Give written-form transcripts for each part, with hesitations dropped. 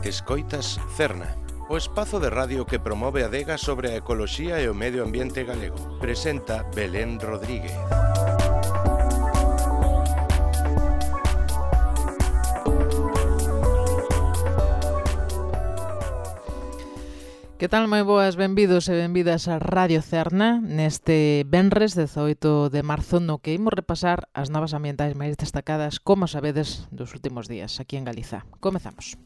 Escoitas Cerna, o espazo de radio que promove a adega sobre a ecoloxía e o medio ambiente galego. Presenta Belén Rodríguez. Que tal, moi boas, benvidos e benvidas a Radio Cerna neste venres 18 de marzo no que imos repasar as novas ambientais máis destacadas, como sabedes, dos últimos días aquí en Galiza. Comezamos.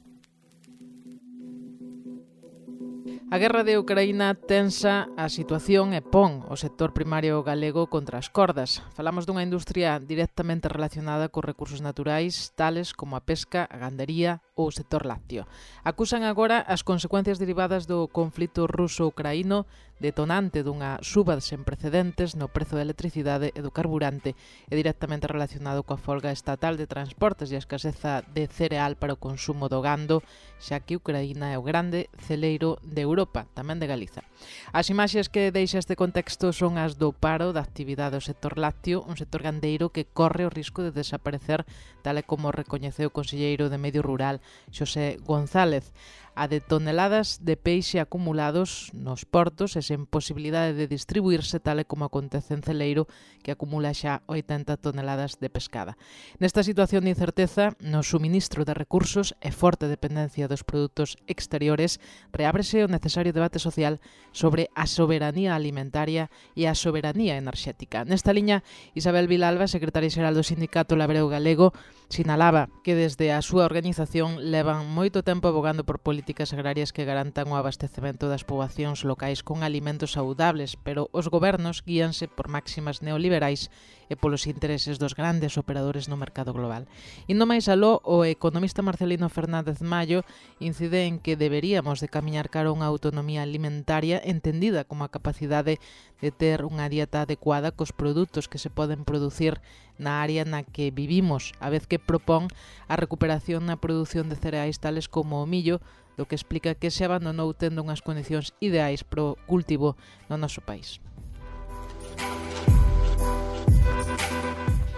A guerra de Ucraína tensa a situación e pon o sector primario galego contra as cordas. Falamos dunha industria directamente relacionada cos recursos naturais, tales como a pesca, a gandería ou o sector lácteo. Acusan agora as consecuencias derivadas do conflito ruso-ucraíno, detonante dunha suba sen precedentes no prezo da electricidade e do carburante e directamente relacionado coa folga estatal de transportes e a escaseza de cereal para o consumo do gando, xa que Ucraína é o grande celeiro de Europa, tamén de Galiza. As imaxes que deixa este contexto son as do paro da actividade do sector lácteo, un sector gandeiro que corre o risco de desaparecer, tal e como recoñeceu o conselleiro de Medio Rural, Xosé González. A de toneladas de peixe acumulados nos portos e sen posibilidade de distribuirse, tal e como acontece en Celeiro, que acumula xa 80 toneladas de pescada. Nesta situación de incerteza, no suministro de recursos e forte dependencia dos produtos exteriores, reábrese o necesario debate social sobre a soberanía alimentaria e a soberanía enerxética. Nesta liña, Isabel Vilalba, secretaria xeral do Sindicato Labreo Galego, sinalaba que desde a súa organización levan moito tempo abogando por políticas agrarias que garantan o abastecemento das poboacións locais con alimentos saudables, pero os gobernos guíanse por máximas neoliberais e polos intereses dos grandes operadores no mercado global. Indo máis aló, o economista Marcelino Fernández Mallo incide en que deberíamos de camiñar cara a unha autonomía alimentaria entendida como a capacidade de ter unha dieta adecuada cos produtos que se poden producir na área na que vivimos, a vez que propón a recuperación na produción de cereais tales como o millo, do que explica que se abandonou tendo unhas condicións ideais pro cultivo no noso país.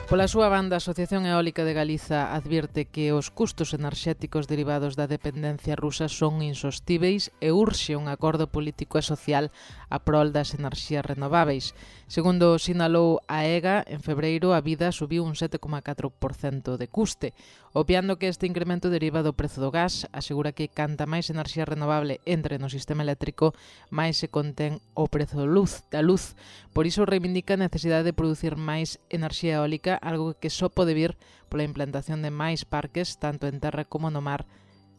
Pola súa banda, a Asociación Eólica de Galiza advirte que os custos enerxéticos derivados da dependencia rusa son insostíveis e urxe un acordo político e social a prol das enerxías renováveis. Segundo sinalou a EGA, en febreiro a vida subiu un 7,4% de custe. Obviando que este incremento deriva do prezo do gas, asegura que canta máis enerxía renovable entre no sistema eléctrico, máis se contén o prezo da luz. Por iso reivindica a necesidade de producir máis enerxía eólica, algo que só pode vir pola implantación de máis parques, tanto en terra como no mar,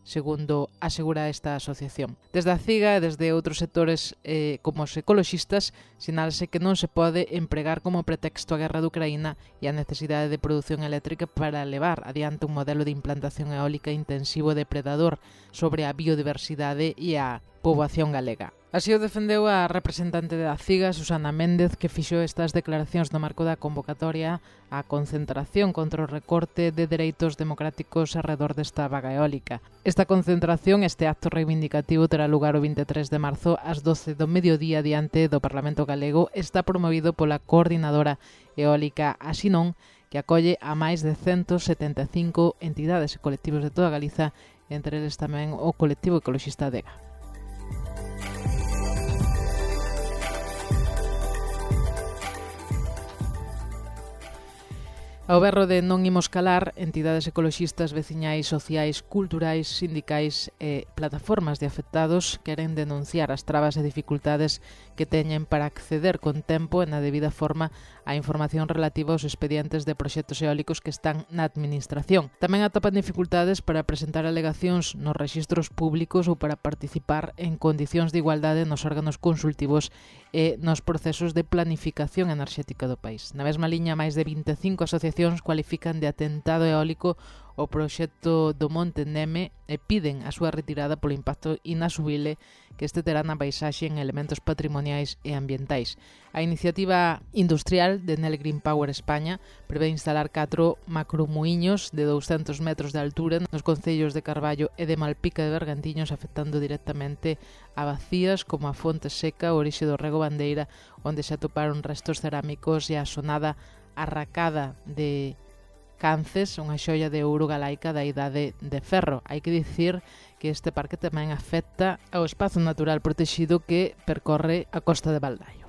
segundo asegura esta asociación. Desde a CIGA e desde outros sectores como os ecoloxistas, sinálase que non se pode empregar como pretexto a guerra de Ucraína e a necesidade de produción eléctrica para levar adiante un modelo de implantación eólica intensivo e depredador sobre a biodiversidade e a poboación galega. Así o defendeu a representante da CIGA, Susana Méndez, que fixo estas declaracións no marco da convocatoria á concentración contra o recorte de dereitos democráticos arredor desta vaga eólica. Esta concentración, este acto reivindicativo, terá lugar o 23 de marzo ás 12 do mediodía diante do Parlamento Galego. Está promovido pola Coordinadora Eólica Asinón, que acolle a máis de 175 entidades e colectivos de toda Galiza, entre eles tamén o colectivo ecoloxista DEGA. Ao berro de non imos calar, entidades ecoloxistas, veciñais, sociais, culturais, sindicais e plataformas de afectados queren denunciar as trabas e dificultades que teñen para acceder con tempo e na debida forma a información relativa aos expedientes de proxectos eólicos que están na administración. Tamén atopan dificultades para presentar alegacións nos rexistros públicos ou para participar en condicións de igualdade nos órganos consultivos e nos procesos de planificación enerxética do país. Na mesma liña, máis de 25 asociacións cualifican de atentado eólico o proxecto do Monte Neme e piden a súa retirada polo impacto inasubible que este terá na paisaxe en elementos patrimoniais e ambientais. A iniciativa industrial de Nel Green Power España prevé instalar 4 macromuíños de 200 metros de altura nos concellos de Carballo e de Malpica de Bergantiños, afectando directamente a bacías como a Fonte Seca, o orixe do Rego Bandeira, onde se atoparon restos cerámicos e a sonada arracada de Cances, unha xoia de ouro galaica da idade de ferro. Hai que dicir que este parque tamén afecta ao espazo natural protexido que percorre a costa de Baldaio.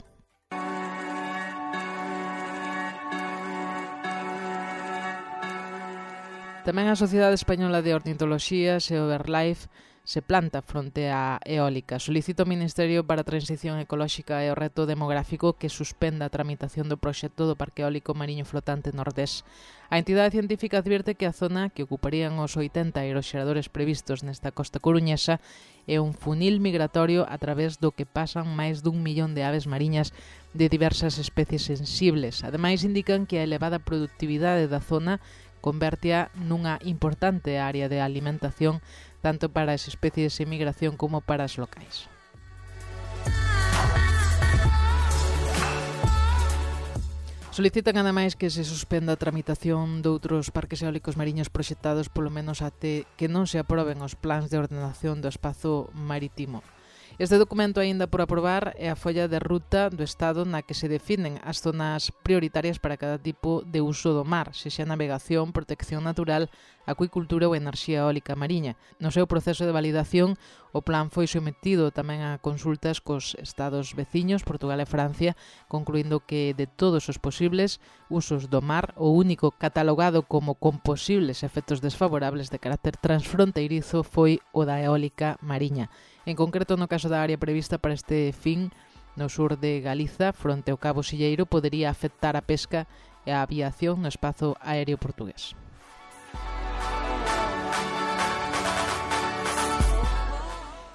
Tamén a Sociedade Española de Ornitoloxía, SEO-BirdLife, se planta fronte á eólica. Solicita ao Ministerio para a Transición Ecolóxica e o Reto Demográfico que suspenda a tramitación do proxecto do Parque Eólico Mariño Flotante Nordés. A entidade científica advierte que a zona que ocuparían os 80 aeroxeradores previstos nesta costa coruñesa é un funil migratorio a través do que pasan máis d'1 millón de aves mariñas de diversas especies sensibles. Ademais, indican que a elevada productividade da zona convértea nunha importante área de alimentación tanto para as especies en migración como para as locais. Solicitan ademais que se suspenda a tramitación doutros parques eólicos mariños proxectados polo menos até que non se aproben os plans de ordenación do espazo marítimo. Este documento aínda por aprobar é a folla de ruta do Estado na que se definen as zonas prioritarias para cada tipo de uso do mar, sexa navegación, protección natural, acuicultura ou enerxía eólica mariña. No seu proceso de validación, o plan foi sometido tamén a consultas cos estados veciños, Portugal e Francia, concluindo que de todos os posibles usos do mar, o único catalogado como con posibles efectos desfavorables de carácter transfronteirizo foi o da eólica mariña. En concreto, no caso da área prevista para este fin, no sur de Galiza, fronte ao Cabo Silleiro, podería afectar a pesca e a aviación no espazo aéreo portugués.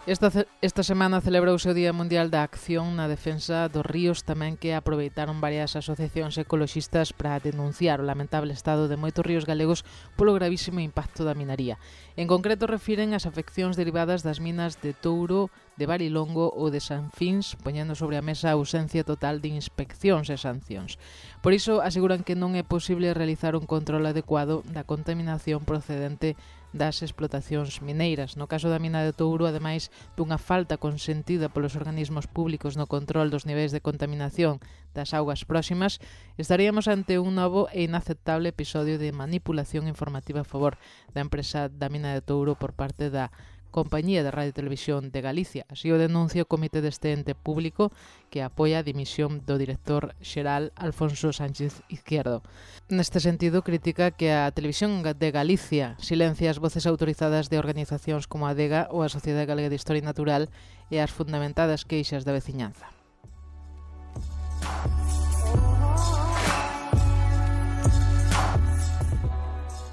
Esta semana celebrouse o Día Mundial da Acción na Defensa dos Ríos, tamén que aproveitaron varias asociacións ecoloxistas para denunciar o lamentable estado de moitos ríos galegos polo gravísimo impacto da minaría. En concreto, refiren as afeccións derivadas das minas de Touro, de Barilongo ou de Sanfins, poñendo sobre a mesa a ausencia total de inspeccións e sancións. Por iso, aseguran que non é posible realizar un control adecuado da contaminación procedente das explotacións mineiras. No caso da mina de Touro, ademais dunha falta consentida polos organismos públicos no control dos niveis de contaminación das augas próximas, estaríamos ante un novo e inaceptable episodio de manipulación informativa a favor da empresa da mina de Touro por parte da Compañía de Radio e Televisión de Galicia. Así o denuncia o comité deste ente público que apoia a dimisión do director xeral Alfonso Sánchez Izquierdo. Neste sentido, critica que a Televisión de Galicia silencia as voces autorizadas de organizacións como a ADEGA ou a Sociedade Galega de Historia Natural e as fundamentadas queixas da veciñanza.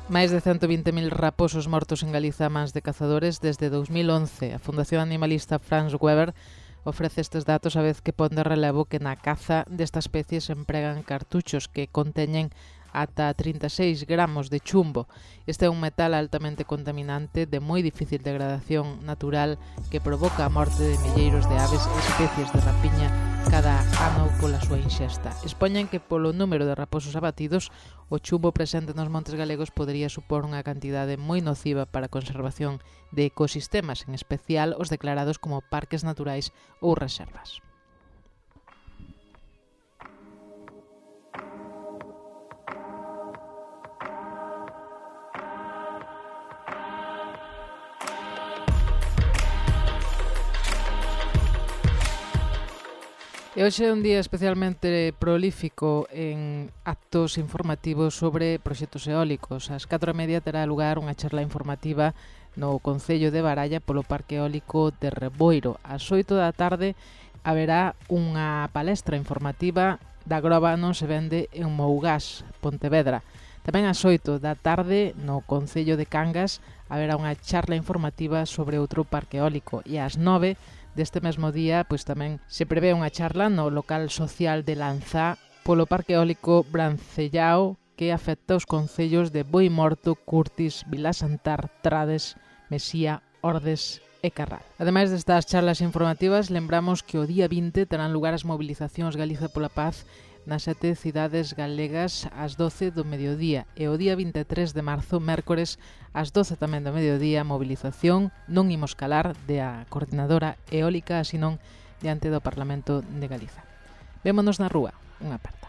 Máis de 120.000 raposos mortos en Galiza a mans de cazadores desde 2011. A Fundación Animalista Franz Weber ofrece estes datos a vez que pon de relevo que na caza desta especie se empregan cartuchos que conteñen ata 36 gramos de chumbo. Este é un metal altamente contaminante de moi difícil degradación natural que provoca a morte de milleiros de aves e especies de rapiña cada ano pola súa inxesta. Expoñen que polo número de raposos abatidos, o chumbo presente nos montes galegos podería supor unha cantidade moi nociva para a conservación de ecosistemas, en especial os declarados como parques naturais ou reservas. E hoxe é un día especialmente prolífico en actos informativos sobre proxectos eólicos. Ás 4:30 terá lugar unha charla informativa no Concello de Baralla polo Parque Eólico de Reboiro. Ás 8 da tarde haberá unha palestra informativa da Groba non se vende en Mougás, Pontevedra. Tamén ás 8 da tarde no Concello de Cangas haberá unha charla informativa sobre outro parque eólico e ás 9 deste mesmo día, pois tamén se prevé unha charla no local social de Lanzá polo Parque Eólico Brancellao que afecta os concellos de Boimorto, Curtis, Vilasantar, Trades, Mesía, Ordes e Carral. Ademais destas charlas informativas, lembramos que o día 20 terán lugar as movilizacións Galiza pola Paz nas 7 cidades galegas ás 12 do mediodía e o día 23 de marzo, mércores, ás 12 tamén do mediodía, movilización Non Imos Calar de a Coordinadora Eólica, así non diante do Parlamento de Galiza. Vémonos na rúa, unha aperta.